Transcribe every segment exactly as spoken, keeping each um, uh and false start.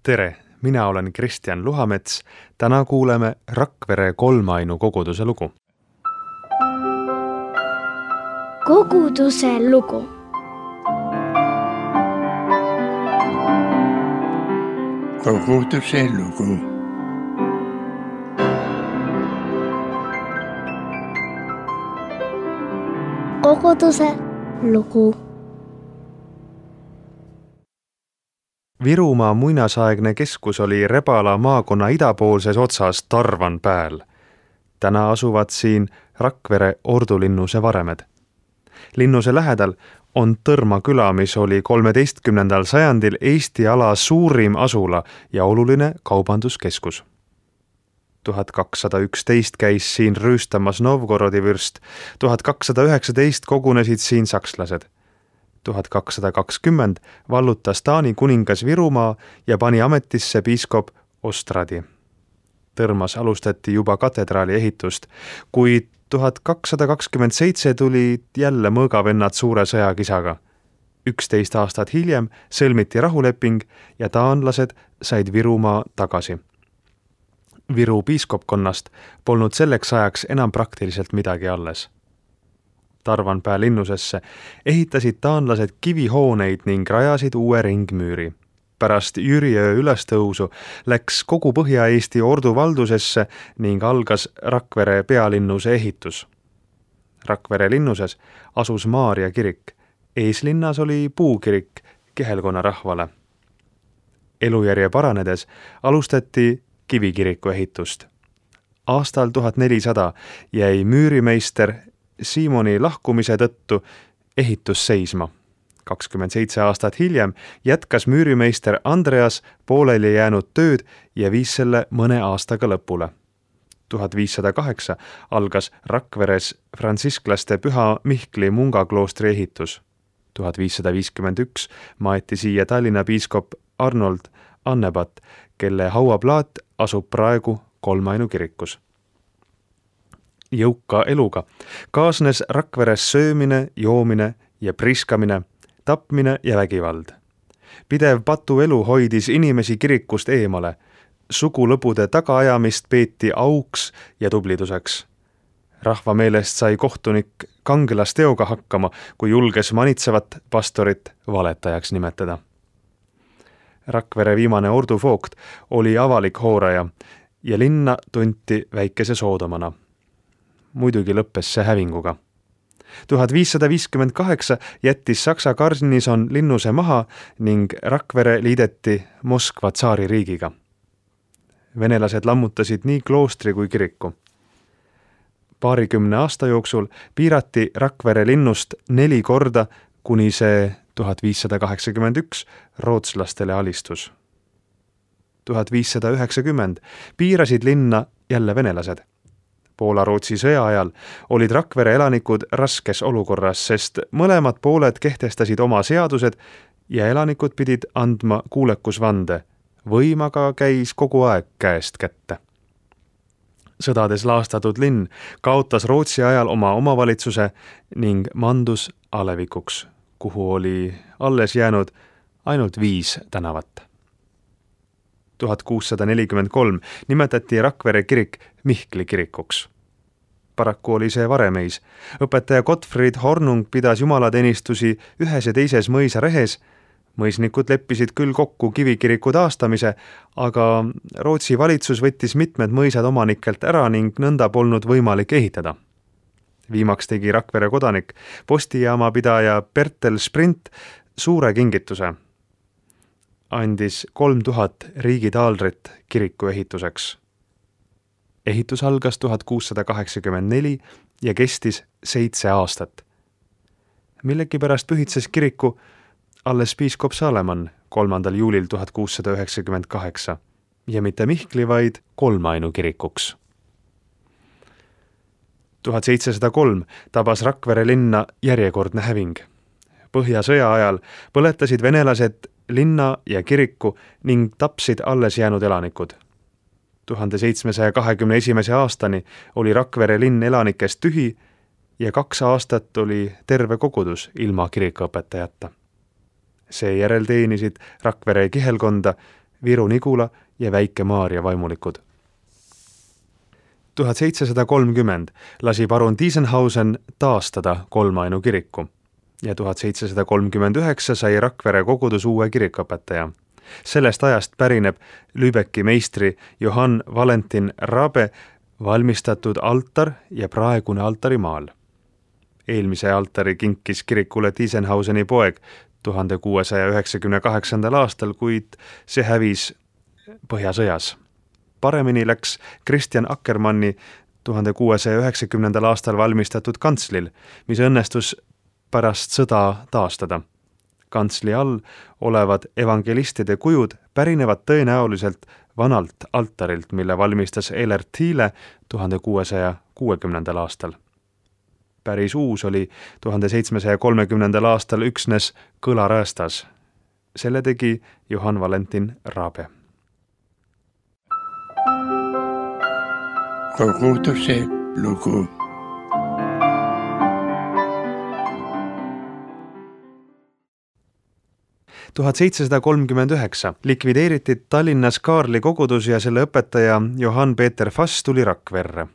Tere, mina olen Kristjan Luhamets. Täna kuuleme Rakvere kolmainu koguduse lugu. Koguduse lugu. Koguduse lugu. Koguduse lugu. Virumaa muinasaegne keskus oli Rebala maakonna idapoolses otsas Tarvanpääl. Täna asuvad siin Rakvere ordulinnuse varemed. Linnuse lähedal on Tõrma küla, mis oli kolmeteistkümnendal sajandil Eesti ala suurim asula ja oluline kaubanduskeskus. tuhat kakssada üksteist käis siin rüüstamas Novgorodi vürst, tuhat kakssada üheksateist kogunesid siin sakslased. tuhat kakssada kakskümmend vallutas Taani kuningas Virumaa ja pani ametisse piiskop Ostradi. Tõrmas alustati juba katedraali ehitust, kuid tuhat kakssada kakskümmend seitse tulid jälle mõõgavennad suure sõjakisaga. üksteist aastat hiljem sõlmiti rahuleping ja taanlased said Virumaa tagasi. Viru piiskopkonnast polnud selleks ajaks enam praktiliselt midagi alles. Tarvanpää linnusesse ehitasid taanlased kivihooneid ning rajasid uue ringmüüri. Pärast Jüriöö ülestõusu läks kogu Põhja-Eesti ordu valdusesse ning algas Rakvere pealinnuse ehitus. Rakvere linnuses asus Maarja kirik. Eeslinnas oli puukirik kihelkonna rahvale. Elujärje paranedes alustati kivikiriku ehitust. Aastal tuhat nelisada jäi müürimeister Siimoni lahkumise tõttu ehitus seisma. kakskümmend seitse aastat hiljem jätkas müürimeister Andreas pooleli jäänud tööd ja viis selle mõne aastaga lõpule. tuhat viissada kaheksa algas Rakveres frantsisklaste Püha Mihkli mungakloostri ehitus. tuhat viissada viiskümmend üks maeti siia Tallinna piiskop Arnold Annebat, kelle hauaplaat asub praegu kolmainu kirikus. Jõuka eluga kaasnes Rakveres söömine, joomine ja priskamine, tapmine ja vägivald. Pidev patuelu hoidis inimesi kirikust eemale. Sugulõbude tagaajamist peeti auks ja tubliduseks. Rahva meelest sai kohtunik kangelasteoga hakkama, kui julges manitsevat pastorit valetajaks nimetada. Rakvere viimane orduvoogt oli avalik hooraja ja linna tunti väikese Soodomana. Muidugi lõppes see hävinguga. tuhat viissada viiskümmend kaheksa jättis Saksa garnison linnuse maha ning Rakvere liideti Moskva tsaaririigiga. Venelased lammutasid nii kloostri kui kiriku. Paarikümne aasta jooksul piirati Rakvere linnust neli korda, kuni see tuhat viissada kaheksakümmend üks rootslastele alistus. tuhat viissada üheksakümmend piirasid linna jälle venelased. Poola-Rootsi sõja ajal olid Rakvere elanikud raskes olukorras, sest mõlemad pooled kehtestasid oma seadused ja elanikud pidid andma kuulekusvande. Võim aga käis kogu aeg käest kätte. Sõdades laastatud linn kaotas Rootsi ajal oma omavalitsuse ning mandus alevikuks, kuhu oli alles jäänud ainult viis tänavat. tuhat kuussada nelikümmend kolm nimetati Rakvere kirik Mihkli kirikuks. Paraku oli see varemeis. Õpetaja Gottfried Hornung pidas jumalateenistusi ühes ja teises mõisa rehes. Mõisnikud leppisid küll kokku kivikiriku taastamise, aga Rootsi valitsus võttis mitmed mõisad omanikelt ära ning nõnda polnud võimalik ehitada. Viimaks tegi Rakvere kodanik, postijaama pidaja Bertel Sprint suure kingituse. Andis kolm tuhat riigitaalrit kiriku ehituseks. Ehitus algas tuhat kuussada kaheksakümmend neli ja kestis seitse aastat. Millegipärast pühitses kiriku alles piiskop Saleman kolmandal juulil tuhat kuussada üheksakümmend kaheksa ja mitte Mihkli, vaid kolmainu kirikuks. tuhat seitsesada kolm tabas Rakvere linna järjekordne häving. Põhjasõja ajal põletasid venelased linna ja kiriku ning tapsid alles jäänud elanikud. tuhande seitsmesaja kahekümne esimese aastani oli Rakvere linn elanikest tühi ja kaks aastat oli terve kogudus ilma kirikuõpetajata. Seejärel teenisid Rakvere kihelkonda Viru-Nigula ja Väike-Maarja vaimulikud. tuhat seitsesada kolmkümmend lasi parun Tiesenhausen taastada Kolmainu kiriku ja tuhat seitsesada kolmkümmend üheksa sai Rakvere kogudus uue kirikuõpetaja. Sellest ajast pärineb Lübecki meistri Johann Valentin Rabe valmistatud altar ja praegune altarimaal. Eelmise altari kinkis kirikule Tiesenhauseni poeg tuhande kuuesaja üheksakümne kaheksandal aastal, kuid see hävis Põhjasõjas. Paremini läks Kristjan Akkermanni tuhande kuuesaja üheksakümnendal aastal valmistatud kantslil, mis õnnestus pärast sõda taastada. Kantsli all olevad evangelistide kujud pärinevad tõenäoliselt vanalt altarilt, mille valmistas Elert Thiele tuhande kuuesaja kuuekümnendal aastal. Päris uus oli tuhande seitsmesaja kolmekümnendal aastal üksnes kõlaräästas. Selle tegi Johann Valentin Rabe. Koguduse lugu. tuhat seitsesada kolmkümmend üheksa likvideeriti Tallinnas Kaarli kogudus ja selle õpetaja Johann Peeter Fass tuli Rakverre.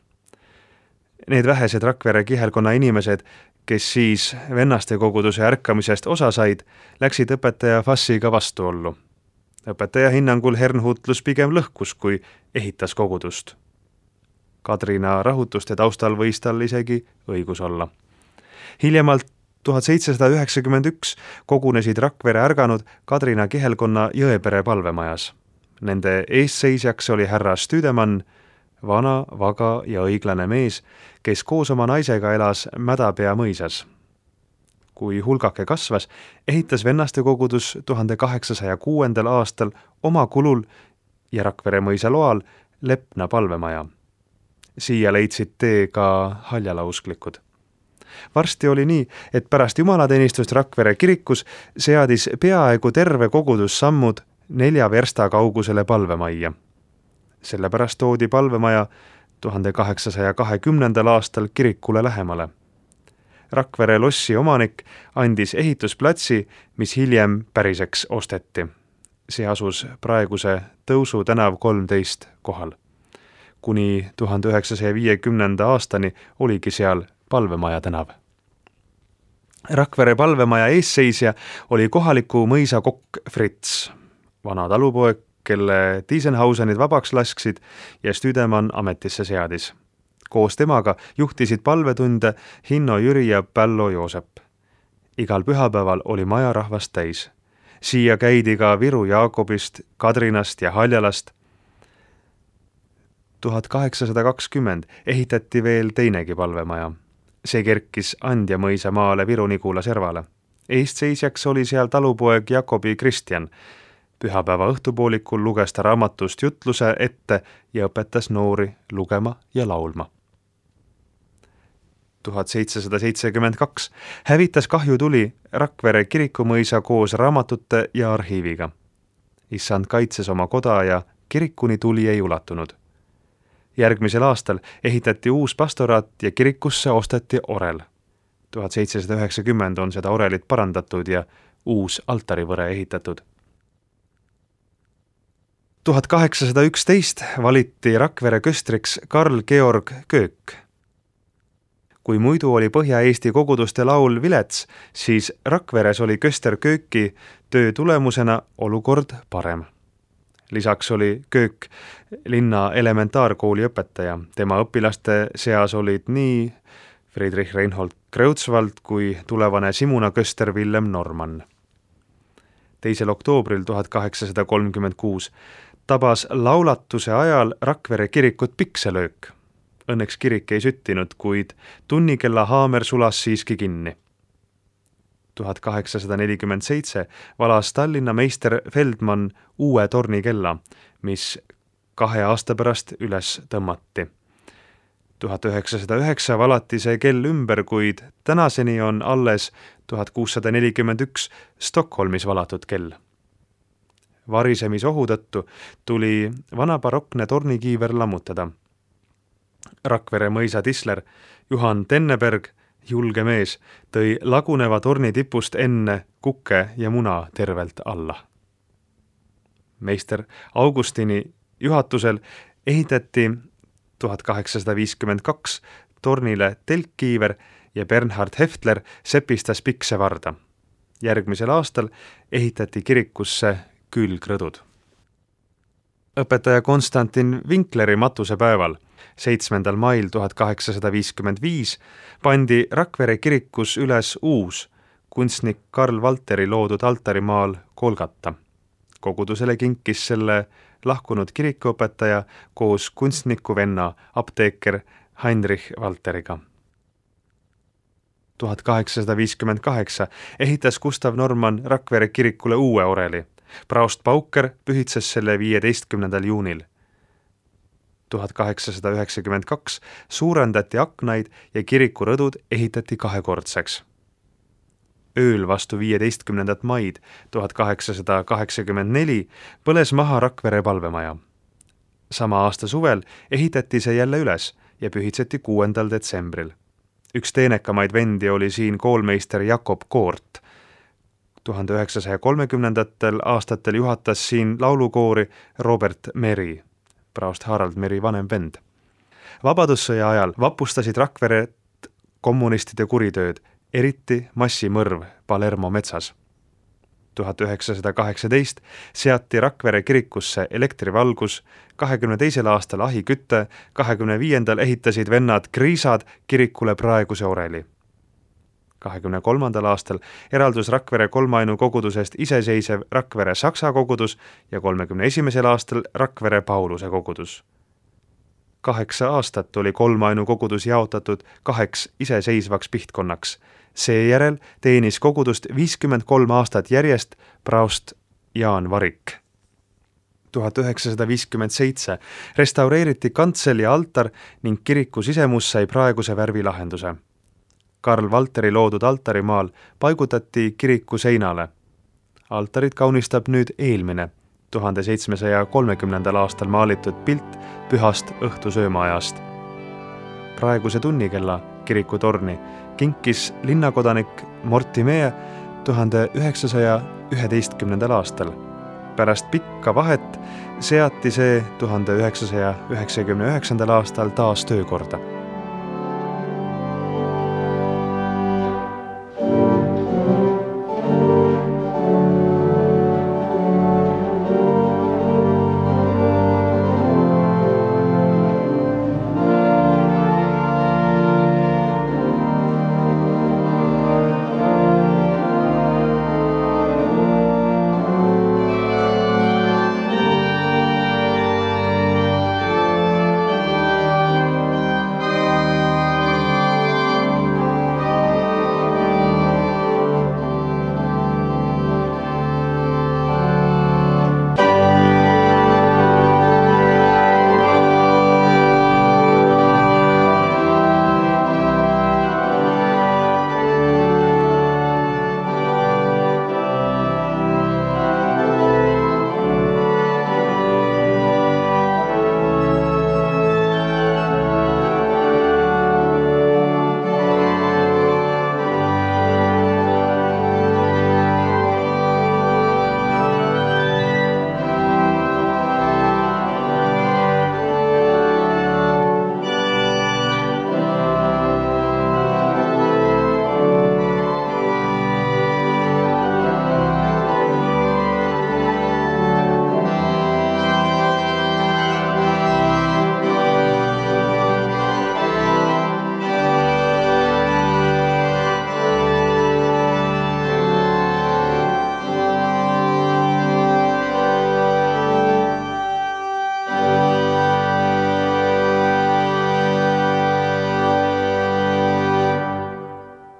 Need vähesed Rakvere kihelkonna inimesed, kes siis vennaste koguduse ärkamisest osa said, läksid õpetaja Fassiga vastuollu. Õpetaja hinnangul Hernhutlus pigem lõhkus, kui ehitas kogudust. Kadrina rahutuste taustal võis tal isegi õigus olla. Hiljemalt tuhat seitsesada üheksakümmend üks kogunesid Rakvere ärganud Kadrina kihelkonna Jõepere palvemajas. Nende eesseisjaks oli härra Stüdemann, vana, vaga ja õiglane mees, kes koos oma naisega elas Mädapea mõisas. Kui hulgake kasvas, ehitas vennaste kogudus tuhande kaheksasaja kuuendal aastal oma kulul ja Rakvere mõisa loal Lepna palvemaja. Siia leidsid tee ka haljalausklikud. Varsti oli nii, et pärast jumalateenistust Rakvere kirikus seadis peaaegu terve kogudus sammud nelja versta kaugusele palvemajja. Sellepärast toodi palvemaja tuhande kaheksasaja kahekümnendal aastal kirikule lähemale. Rakvere lossi omanik andis ehitusplatsi, mis hiljem päriseks osteti. See asus praeguse Tõusu tänav kolmteist kohal. Kuni tuhande üheksasaja viiekümnenda aastani oligi seal palvemaja tänav. Rakvere palvemaja eesseisja oli kohaliku mõisa kokk Fritz, vana talupoeg, kelle Tiesenhausenid vabaks lasksid ja Stüdemann ametisse seadis. Koos temaga juhtisid palvetunde Hinno Jüri ja Pällo Joosep. Igal pühapäeval oli maja rahvast täis. Siia käidi ka Viru Jaakobist, Kadrinast ja Haljalast. tuhat kaheksasada kakskümmend ehitati veel teinegi palvemaja. See kerkis Andja mõisa maale Viru-Nigula servale. Eestseisjaks oli seal talupoeg Jakobi Kristjan. Pühapäeva õhtupoolikul luges ta raamatust jutluse ette ja õpetas noori lugema ja laulma. tuhat seitsesada seitsekümmend kaks hävitas kahjutuli Rakvere kirikumõisa koos raamatute ja arhiiviga. Issand kaitses oma koda ja kirikuni tuli ei ulatunud. Järgmisel aastal ehitati uus pastoraat ja kirikusse osteti orel. tuhat seitsesada üheksakümmend on seda orelit parandatud ja uus altarivõre ehitatud. tuhat kaheksasada üksteist valiti Rakvere köstriks Karl Georg Köök. Kui muidu oli Põhja-Eesti koguduste laul vilets, siis Rakveres oli köster Kööki töö tulemusena olukord parem. Lisaks oli Köök linna elementaarkooli õpetaja. Tema õpilaste seas olid nii Friedrich Reinhold Kreutzwald kui tulevane Simuna köster Villem Norman. teisel oktoobril tuhat kaheksasada kolmkümmend kuus tabas laulatuse ajal Rakvere kirikut pikselöök. Õnneks kirik ei süttinud, kuid tunnikella haamer sulas siiski kinni. tuhat kaheksasada nelikümmend seitse valas Tallinna meister Feldmann uue tornikella, mis kahe aasta pärast üles tõmmati. tuhat üheksasada üheksa valati see kell ümber, kuid tänaseni on alles tuhat kuussada nelikümmend üks Stockholmis valatud kell. Varisemisohu tõttu tuli vana barokne tornikiiver lammutada. Rakvere mõisa tisler Juhan Tenneberg, julge mees, tõi laguneva torni tipust enne kukke ja muna tervelt alla. meister Augustini juhatusel ehitati tuhat kaheksasada viiskümmend kaks tornile telkkiiver ja Bernhard Heftler sepistas piksevarda. Järgmisel aastal ehitati kirikusse külgrõdud. Õpetaja Konstantin Winkleri matusepäeval, seitsmendal mail tuhat kaheksasada viiskümmend viis, pandi Rakvere kirikus üles uus kunstnik Karl Valteri loodud altarimaal Kolgata. Kogudusele kinkis selle lahkunud kirikuõpetaja koos kunstniku venna apteeker Heinrich Valteriga. tuhat kaheksasada viiskümmend kaheksa ehitas Gustav Norman Rakvere kirikule uue oreli. Praost Pauker pühitses selle viieteistkümnendal juunil. tuhat kaheksasada üheksakümmend kaks suurendati aknaid ja kirikurõdud ehitati kahekordseks. Ööl vastu viieteistkümnendat maid tuhat kaheksasada kaheksakümmend neli põles maha Rakvere palvemaja. Sama aasta suvel ehitati see jälle üles ja pühitseti kuuendal detsembril. Üks teenekamaid vendi oli siin koolmeister Jakob Koort. tuhande üheksasaja kolmekümnendatel aastatel juhatas siin laulukoori Robert Meri, praost Harald Meri vanem vend. Vabadussõja ajal vapustasid Rakveret kommunistide kuritööd, eriti massimõrv Palermo metsas. tuhat üheksasada kaheksateist seati Rakvere kirikusse elektrivalgus, kahekümne teisel aastal ahikütte, kahekümne viiendal ehitasid vennad Kriisad kirikule praeguse oreli. kahekümne kolmandal aastal eraldus Rakvere kolmainu kogudusest iseseisev Rakvere Saksa kogudus ja kolmekümne esimesel aastal Rakvere Pauluse kogudus. Kaheksa aastat oli kolmainu kogudus jaotatud kaheks iseseisvaks pihtkonnaks. Seejärel teenis kogudust viiskümmend kolm aastat järjest praost Jaan Varik. tuhat üheksasada viiskümmend seitse restaureeriti kantsel ja altar ning kiriku sisemus sai praeguse värvilahenduse. Karl Valteri loodud altarimaal paigutati kiriku seinale. Altarit kaunistab nüüd eelmine, tuhande seitsmesaja kolmekümnendal aastal maalitud pilt pühast õhtusöömaajast. Praeguse tunnikella kirikutorni kinkis linnakodanik Mortimee tuhande üheksasaja üheteistkümnendal aastal. Pärast pikka vahet seati see tuhande üheksasaja üheksakümne üheksandal aastal taas töökorda.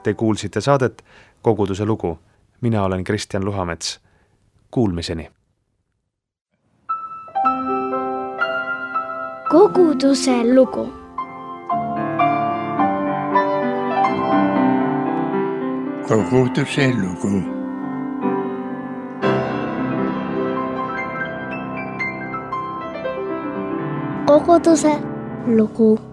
Te kuulsite saadet Koguduse lugu. Mina olen Kristjan Luhamets. Kuulmiseni. Koguduse lugu. Koguduse lugu. Koguduse lugu.